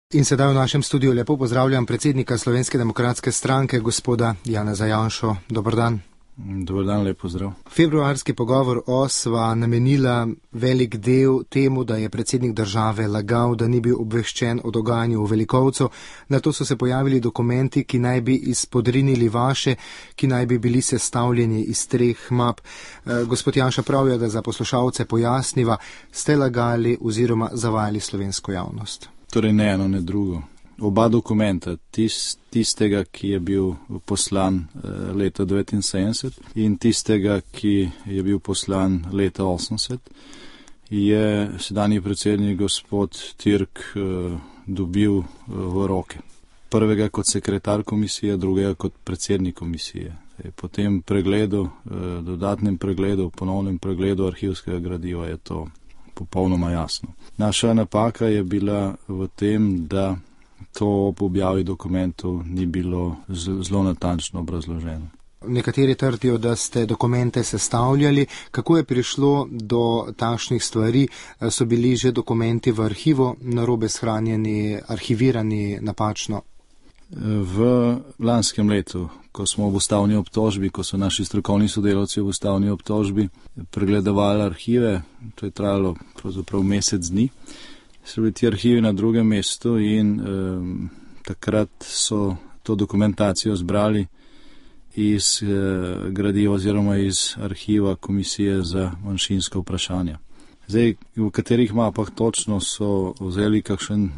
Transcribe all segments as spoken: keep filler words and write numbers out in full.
In sedaj v našem studiu lepo pozdravljam predsednika Slovenske demokratske stranke, gospoda Janeza Janšo. Dobar dan. Dobar dan, lep pozdrav. Februarski pogovor O sva namenila velik del temu, da je predsednik države lagal, da ni bil obveščen o dogajanju v Velikovcu. Na to so se pojavili dokumenti, ki naj bi izpodrinili vaše, ki naj bi bili sestavljeni iz treh map. E, gospod Janša, pravijo, da za poslušalce pojasniva, ste lagali oziroma zavajali slovensko javnost. Torej ne eno, ne drugo. Oba dokumenta, tist, tistega, ki je bil poslan eh, leta devetinsedemdeset in tistega, ki je bil poslan leta osemdeset, je sedanji predsednik gospod Tirk eh, dobil eh, v roke. Prvega kot sekretar komisije, drugega kot predsednik komisije. E, po tem pregledu, eh, dodatnem pregledu, ponovnem pregledu arhivskega gradiva je to popolnoma jasno. Naša napaka je bila v tem, da to ob objavi dokumentov ni bilo zelo natančno obrazloženo. Nekateri trdijo, da ste dokumente sestavljali. Kako je prišlo do takšnih stvari? So bili že dokumenti v arhivu narobe shranjeni, arhivirani napačno? V lanskem letu, ko smo v ustavni obtožbi, ko so naši strokovni sodelavci v ustavni obtožbi pregledovali arhive, to je trajalo pravzaprav mesec dni, so bili ti arhivi na drugem mestu in um, takrat so to dokumentacijo zbrali iz uh, gradiva oziroma iz arhiva Komisije za manjšinska vprašanja. Zdaj, v katerih mapah točno so vzeli kakšen eh,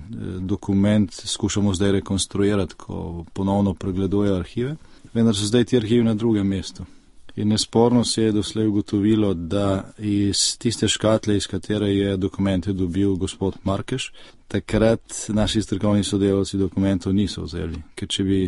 dokument, skušamo zdaj rekonstruirati, ko ponovno pregledujejo arhive, vendar so zdaj ti arhivi na drugem mestu. In nesporno se je doslej ugotovilo, da iz tiste škatle, iz katere je dokumente dobil gospod Markeš, takrat naši strokovni sodelavci dokumentov niso vzeli. Ker če bi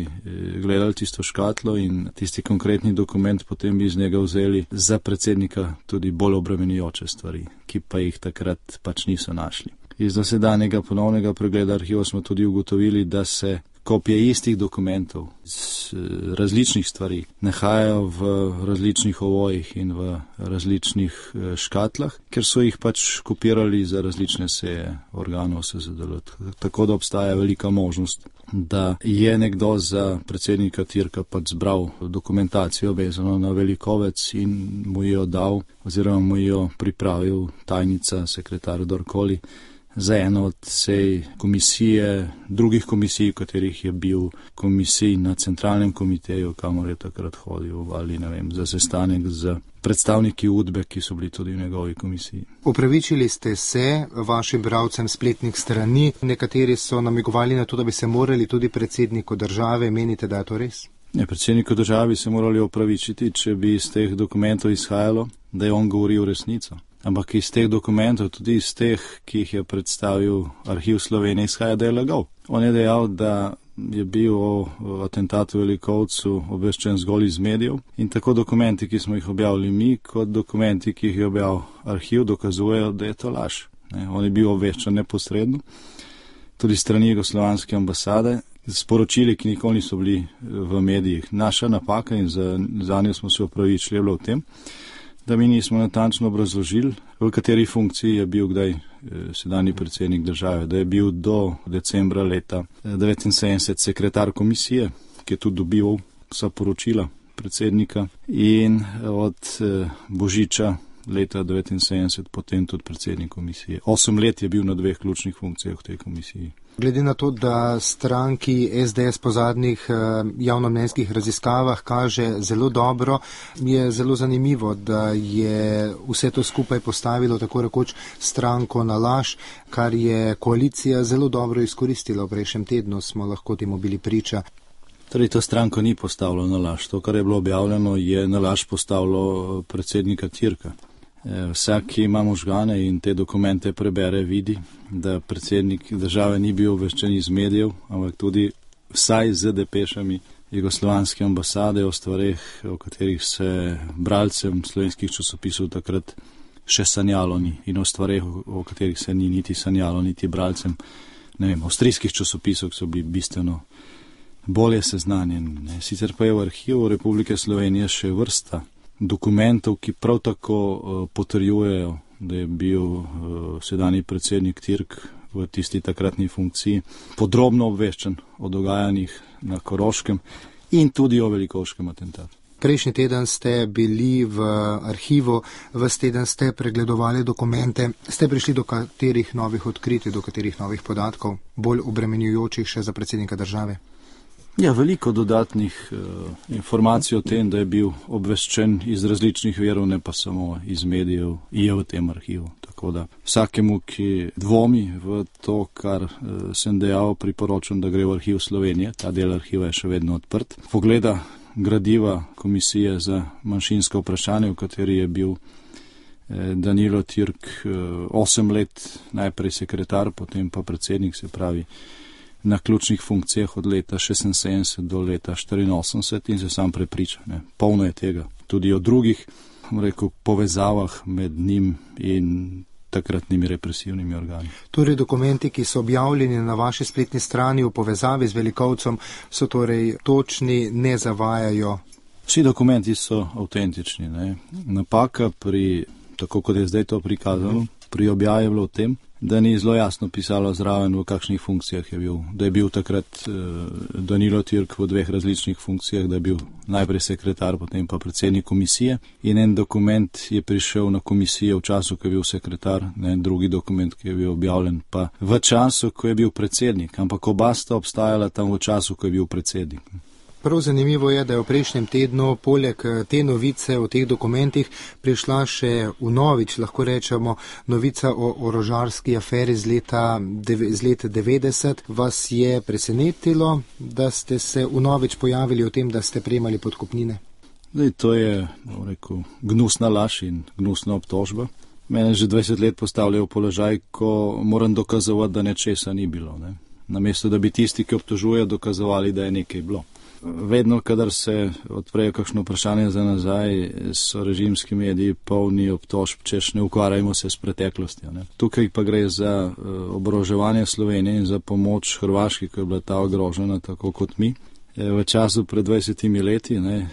gledali tisto škatlo in tisti konkretni dokument, potem bi iz njega vzeli za predsednika tudi bolj obremenjujoče stvari, ki pa jih takrat pač niso našli. Iz dosedanjega ponovnega pregleda arhivov smo tudi ugotovili, da se kopije istih dokumentov z različnih stvari nahajajo v različnih ovojih in v različnih škatlah, ker so jih pač kopirali za različne seje organov S Z D L. Tako da obstaja velika možnost, da je nekdo za predsednika Tirka pač zbral dokumentacijo vezano na Velikovec in mu jo dal oziroma mu jo pripravil tajnica, sekretar, kdorkoli, za eno od sej komisije, drugih komisij, v katerih je bil komisij na centralnem komiteju, kamor je takrat hodil, ali ne vem, za sestanek z predstavniki Udbe, ki so bili tudi v njegovi komisiji. Upravičili ste se vašim bralcem spletnih strani, nekateri so namigovali na to, da bi se morali tudi predsedniku države, menite, da je to res? Ne, predsedniku države bi se morali opravičiti, če bi iz teh dokumentov izhajalo, da je on govoril resnico. Ampak iz teh dokumentov, tudi iz teh, ki jih je predstavil Arhiv Slovenije, izhaja, da je lagal. On je dejal, da je bil o atentatu v Velikovcu obveščen zgolj iz medijev in tako dokumenti, ki smo jih objavili mi, kot dokumenti, ki jih je objavil arhiv, dokazujejo, da je to laž. Ne, on je bil obveščen neposredno, tudi strani jugoslovanske ambasade, sporočili, ki nikoli niso bili v medijih. Naša napaka in za, za njo smo se opravičili, je bilo v tem, da mi nismo natančno obrazložili, v kateri funkciji je bil kdaj sedanji predsednik države, da je bil do decembra leta devetinsedemdeset sekretar komisije, ki je tudi dobival vsa poročila predsednika in od božiča leta devetinsedemdeset potem tudi predsednik komisije. Osem let je bil na dveh ključnih funkcijah v tej komisiji. Glede na to, da stranki S D S po zadnjih javnomnenjskih raziskavah kaže zelo dobro, je zelo zanimivo, da je vse to skupaj postavilo tako rekoč stranko na laž, kar je koalicija zelo dobro izkoristila v prejšnjem tednu, smo lahko temu bili priča. Torej, to stranko ni postavilo na laž. To, kar je bilo objavljeno, je na laž postavilo predsednika Tirka. Vsak, ki ima možgane in te dokumente prebere, vidi, da predsednik države ni bil obveščen iz medijev, ampak tudi vsaj z depešami jugoslovanske ambasade o stvareh, o katerih se bralcem slovenskih časopisov takrat še sanjalo ni, in o stvareh, o katerih se ni niti sanjalo, niti bralcem, ne vem, avstrijskih časopisov, ki so bili bistveno bolje seznanjeni. Sicer pa je v arhivu Republike Slovenije še vrsta dokumentov, ki prav tako uh, potrjujejo, da je bil uh, sedanji predsednik Tirk v tisti takratni funkciji, podrobno obveščen o dogajanjih na Koroškem in tudi o velikovškem atentatu. Prejšnji teden ste bili v arhivu, ves teden ste pregledovali dokumente. Ste prišli do katerih novih odkritij, do katerih novih podatkov, bolj obremenjujočih še za predsednika države? Ja, veliko dodatnih uh, informacij o tem, da je bil obveščen iz različnih verov, ne pa samo iz medijev, je v tem arhivu. Tako da vsakemu, ki dvomi v to, kar uh, sem dejal, priporočam, da gre v arhiv Slovenije. Ta del arhiva je še vedno odprt. Pogleda gradiva Komisije za manjšinska vprašanja, v kateri je bil eh, Danilo Türk eh, osem let najprej sekretar, potem pa predsednik, se pravi na ključnih funkcijah od leta šestinsedemdeset do leta štiriinosemdeset in se sam prepriča. Ne. Polno je tega. Tudi o drugih, rekel, povezavah med njim in takratnimi represivnimi organi. Torej dokumenti, ki so objavljeni na vaši spletni strani v povezavi z Velikovcem, so torej točni, ne zavajajo? Vsi dokumenti so avtentični. Ne. Napaka pri, tako kot je zdaj to prikazano, pri objavi je bilo v tem, da ni zelo jasno pisalo zraven, v kakšnih funkcijah je bil. Da je bil takrat eh, Danilo Türk v dveh različnih funkcijah, da je bil najprej sekretar, potem pa predsednik komisije. In en dokument je prišel na komisijo v času, ko je bil sekretar, ne, drugi dokument, ki je bil objavljen pa v času, ko je bil predsednik. Ampak oba sta obstajala tam v času, ko je bil predsednik. Prav zanimivo je, da je v prejšnjem tednu poleg te novice o teh dokumentih prišla še v novič, lahko rečemo, novica o orožarski aferi z leta, z leta devetdeset. Vas je presenetilo, da ste se v novič pojavili o tem, da ste prejemali podkupnine? Zdaj, to je, bom rekel, gnusna laž in gnusna obtožba. Mene že dvajset let postavljajo v položaj, ko moram dokazovati, da nečesa ni bilo. Ne? Namesto, da bi tisti, ki obtožujejo, dokazovali, da je nekaj bilo. Vedno, kadar se odprejo kakšno vprašanje za nazaj, so režimski mediji polni obtožb, češ ne ukvarjajmo se s preteklostjo. Ne. Tukaj pa gre za uh, oboroževanje Slovenije in za pomoč Hrvaški, ko je bila ta ogrožena tako kot mi. V času pred dvajsetimi leti, ne,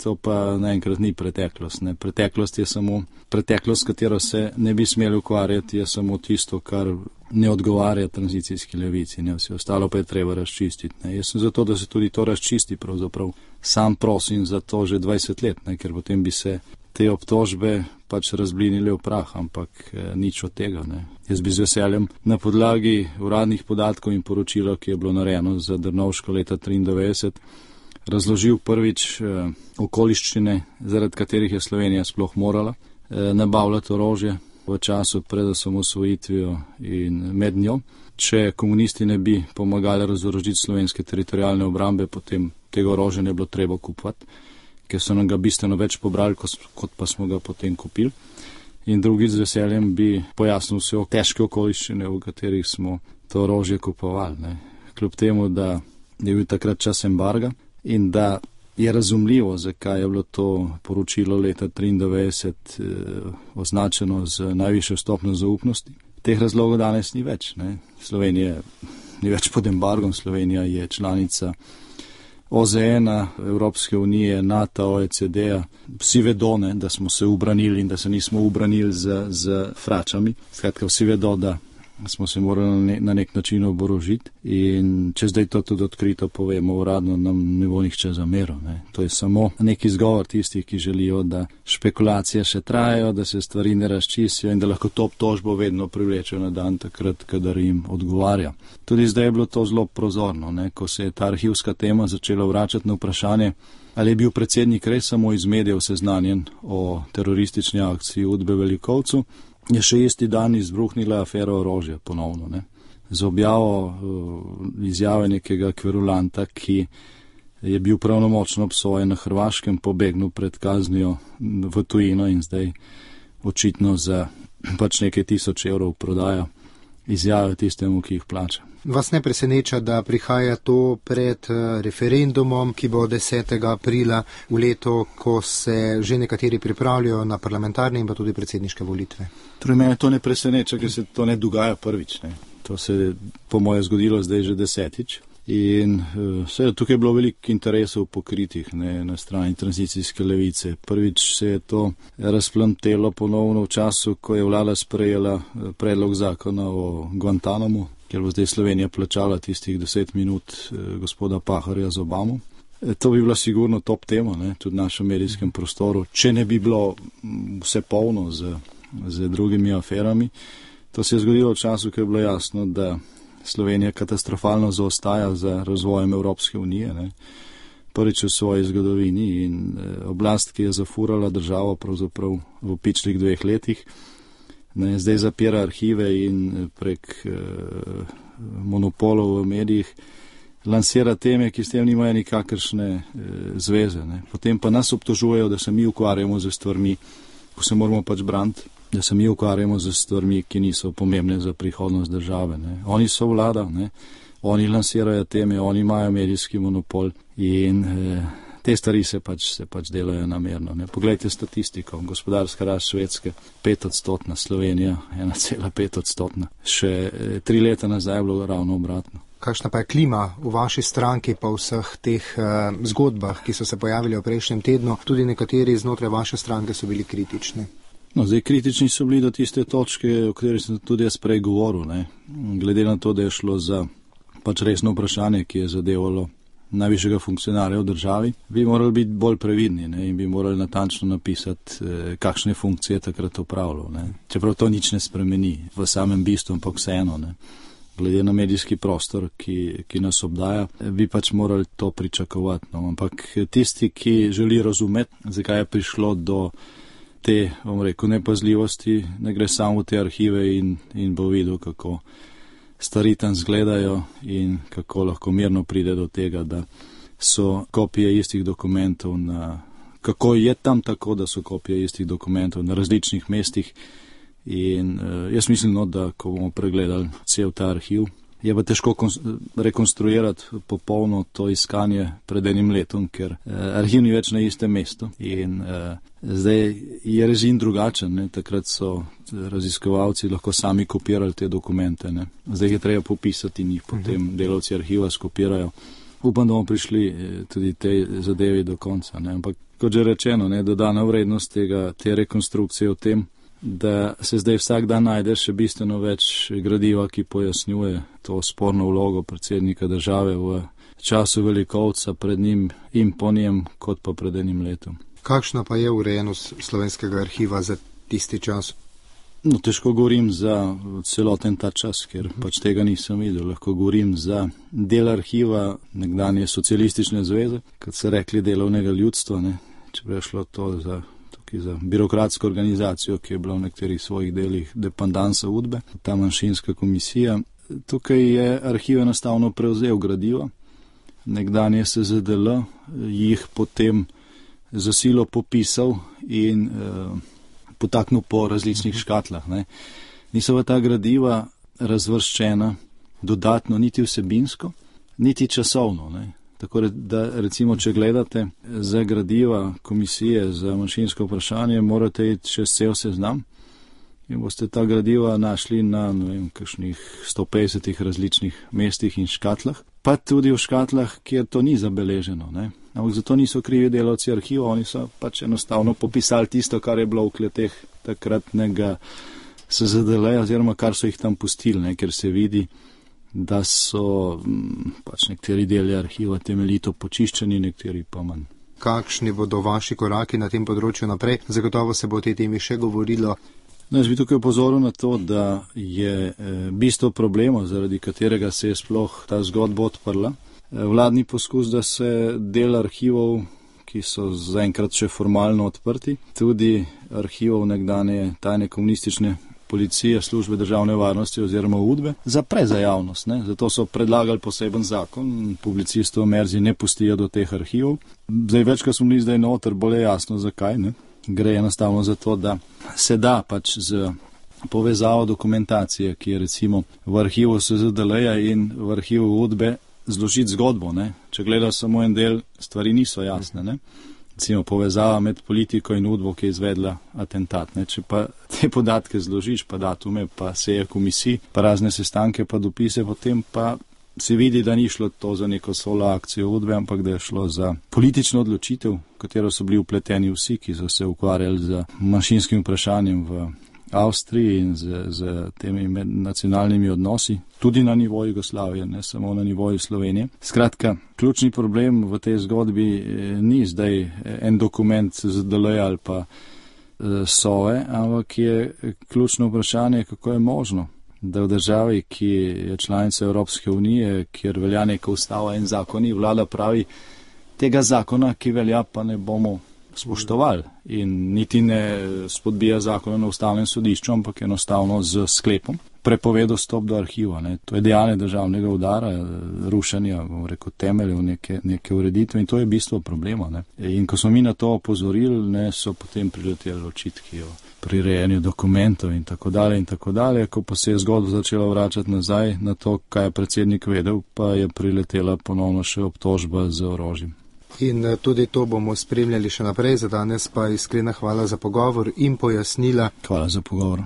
to pa naenkrat ni preteklost. Ne. Preteklost je samo, preteklost, s katero se ne bi smeli ukvarjati, je samo tisto, kar ne odgovarja tranzicijski levici, ne. Vse ostalo pa je treba razčistiti. Ne. Jaz sem zato, da se tudi to razčisti, pravzaprav sam prosim za to že dvajset let, ne, ker potem bi se te obtožbe pač razblinile v prah, ampak eh, nič od tega. Ne. Jaz bi z veseljem na podlagi uradnih podatkov in poročila, ki je bilo narejeno za Drnovško leta triindevetdeset, razložil prvič eh, okoliščine, zaradi katerih je Slovenija sploh morala eh, nabavljati orožje v času pred osamosvojitvijo in med njo. Če komunisti ne bi pomagali razorožiti slovenske teritorijalne obrambe, potem tega orožja ne bilo treba kupovati, ker so nam ga bistveno več pobrali, kot pa smo ga potem kupili. In drugič z veseljem bi pojasnil vse težke okoliščine, v katerih smo to orožje kupovali. Ne. Kljub temu, da je bil takrat čas embarga in da je razumljivo, zakaj je bilo to poročilo leta triindevetdeset eh, označeno z najvišjo stopnjo zaupnosti. Teh razlogov danes ni več. Ne. Slovenija ni več pod embargom, Slovenija je članica O Z N-a, Evropske unije, NATO, O E C D-a. Vsi vedo, ne, da smo se ubranili in da se nismo ubranili z, z fračami. Skratka, vsi vedo, da smo se morali na, na nek način oborožiti in če zdaj to tudi odkrito povemo uradno, nam ne bo nihče zameril. Ne. To je samo nek izgovor tistih, ki želijo, da špekulacije še trajajo, da se stvari ne razčistijo in da lahko to obtožbo vedno privlečejo na dan takrat, kadar jim odgovarja. Tudi zdaj je bilo to zelo prozorno, ne. Ko se je ta arhivska tema začela vračati na vprašanje, ali je bil predsednik res samo iz medijev seznanjen o teroristični akciji v Udbe Velikovcu, je še isti dan izbruhnila afera orožja ponovno. Ne. Z objavo uh, izjave nekega kverulanta, ki je bil pravnomočno obsojen na Hrvaškem, pobegnil pred kaznijo v tujino in zdaj očitno za pač nekaj tisoč evrov prodaja izjave tistemu, ki jih plača. Vas ne preseneča, da prihaja to pred referendumom, ki bo desetega aprila v letu, ko se že nekateri pripravljajo na parlamentarne in pa tudi predsedniške volitve? Torej, mene to ne preseneča, ker se to ne dogaja prvič. Ne. To se je po moje zgodilo zdaj že desetič. In seveda tukaj je bilo veliko interesov pokritih, ne, na strani tranzicijske levice. Prvič se je to razplantelo ponovno v času, ko je vlada sprejela predlog zakona o Guantanamu, kjer bo zdaj Slovenija plačala tistih deset minut gospoda Pahorja z Obamo. To bi bila sigurno top tema, ne, tudi v našem medijskem prostoru, če ne bi bilo vse polno z, z drugimi aferami. To se je zgodilo v času, ko je bilo jasno, da Slovenija katastrofalno zaostaja za razvojem Evropske unije, ne. Prvič v svoji zgodovini in oblast, ki je zafurala državo pravzaprav v pičlih dveh letih, ne, zdaj zapira arhive in prek eh, monopolov v medijih lansira teme, ki s tem nimajo nikakršne eh, zveze. Ne. Potem pa nas obtožujejo, da se mi ukvarjamo z stvarmi, ko se moramo pač braniti, da se mi ukvarjamo z stvarmi, ki niso pomembne za prihodnost države. Ne. Oni so vlada, ne. Oni lansirajo teme, oni imajo medijski monopol in eh, te stvari se pač, se pač delajo namerno. Ne. Poglejte statistiko, gospodarska rast Švedske pet odstotna, Slovenija ena cela pet odstotna. Še eh, tri leta nazaj je bilo ravno obratno. Kakšna pa je klima v vaši stranki po vseh teh uh, zgodbah, ki so se pojavili v prejšnjem tednu? Tudi nekateri znotraj vaše stranke so bili kritični. No, zdaj kritični so bili do tiste točke, o kateri sem tudi jaz prej govoril, ne. Glede na to, da je šlo za pač resno vprašanje, ki je zadevalo najvišjega funkcionarja v državi, bi morali biti bolj previdni, ne, in bi morali natančno napisati, eh, kakšne funkcije takrat opravljal, ne. Čeprav to nič ne spremeni v samem bistvu, ampak vseeno, ne. Glede na medijski prostor, ki, ki nas obdaja, bi pač morali to pričakovati. No. Ampak tisti, ki želi razumeti, zakaj je prišlo do te, bom rekel, nepazljivosti, ne gre samo v te arhive in, in bo videl, kako stvari tam zgledajo in kako lahko mirno pride do tega, da so kopije istih dokumentov na, kako je tam tako, da so kopije istih dokumentov na različnih mestih. In uh, jaz mislim, no, da ko bomo pregledali cel ta arhiv, je pa težko rekonstruirati popolno to iskanje pred enim letom, ker uh, arhiv ni več na istem mestu in uh, zdaj je režim drugačen, ne. Takrat so raziskovalci lahko sami kopirali te dokumente, ne. Zdaj je treba popisati in jih potem delavci arhiva skopirajo. Upam, da bomo prišli tudi tej zadevi do konca, ne. Ampak kot že rečeno, ne, dodana vrednost tega, te rekonstrukcije v tem, da se zdaj vsak dan najde še bistveno več gradiva, ki pojasnjuje to sporno vlogo predsednika države v času velikovca pred njim in po njem, kot pa pred enim letom. Kakšna pa je urejenost slovenskega arhiva za tisti čas? No, težko govorim za celoten ta čas, ker pač tega nisem videl. Lahko govorim za del arhiva nekdanje socialistične zveze, kot so rekli delovnega ljudstva, ne, če bi šlo to za za birokratsko organizacijo, ki je bila v nekaterih svojih delih dependansa Udbe, ta manjšinska komisija. Tukaj je arhiv enostavno prevzel gradiva, nekdanje S Z D L jih potem za silo popisal in eh, potaknil po različnih škatlah. Ne. Niso pa ta gradiva razvrščena dodatno niti vsebinsko, niti časovno. Ne. Tako da recimo, če gledate za gradiva komisije za manjšinsko vprašanje, morate iti čez cel seznam in boste ta gradiva našli na, ne vem, kakšnih sto petdesetih različnih mestih in škatlah, pa tudi v škatlah, kjer to ni zabeleženo. Ne. Ampak zato niso krivi delavci arhiva, oni so pač enostavno popisali tisto, kar je bilo v kleteh takratnega S Z D L-ja, oziroma kar so jih tam pustili, ne, ker se vidi, da so pač nekateri deli arhiva temeljito počiščeni, nekateri pa manj. Kakšni bodo vaši koraki na tem področju naprej? Zagotovo se bo o tej temi še govorilo. No, jaz bi tukaj upozoril na to, da je eh, bistvo problema, zaradi katerega se je sploh ta zgodba odprla, eh, vladni poskus, da se del arhivov, ki so zaenkrat še formalno odprti, tudi arhivov nekdanje tajne komunistične policije, službe državne varnosti oziroma Udbe, zapre za javnost. Ne. Zato so predlagali poseben zakon, publicistov Merzi ne pustijo do teh arhivov. Zdaj več, ko smo bili zdaj noter, bolj je jasno, zakaj. Ne. Gre enostavno za to, da se da pač z povezavo dokumentacije, ki je recimo v arhivu S Z D L-ja in v arhivu Udbe, zložiti zgodbo. Ne. Če gledaš samo en del, stvari niso jasne. Ne. recimo povezava med politiko in udbo, ki je izvedla atentat. Ne. Če pa te podatke zložiš, pa datume, pa seje komisij, pa razne sestanke, pa dopise, potem pa se vidi, da ni šlo to za neko solo akcijo udbe, ampak da je šlo za politično odločitev, v katero so bili vpleteni vsi, ki so se ukvarjali z manjšinskim vprašanjem v Avstriji in z, z temi nacionalnimi odnosi, tudi na nivoju Jugoslavije, ne samo na nivoju Slovenije. Skratka, ključni problem v tej zgodbi ni zdaj en dokument z D L ali pa Sove, ampak je ključno vprašanje, kako je možno, da v državi, ki je članica Evropske unije, kjer velja neka ustava in zakoni, vlada pravi, tega zakona, ki velja, pa ne bomo spoštovali in niti ne spodbija zakona na ustavnem sodišču, ampak enostavno z sklepom prepovedo dostop do arhiva. Ne. To je dejanje državnega udara, rušenja, bom rekel, temeljev neke, neke ureditve in to je bistvo problema. Ne. In ko smo mi na to opozorili, ne, so potem prileteli očitki o prirejanju dokumentov in tako dalje in tako dalje. Ko pa se je zgodba začela vračati nazaj na to, kaj je predsednik vedel, pa je priletela ponovno še obtožba z orožjem. In tudi to bomo spremljali še naprej, za danes pa iskrena hvala za pogovor in pojasnila. Hvala za pogovor.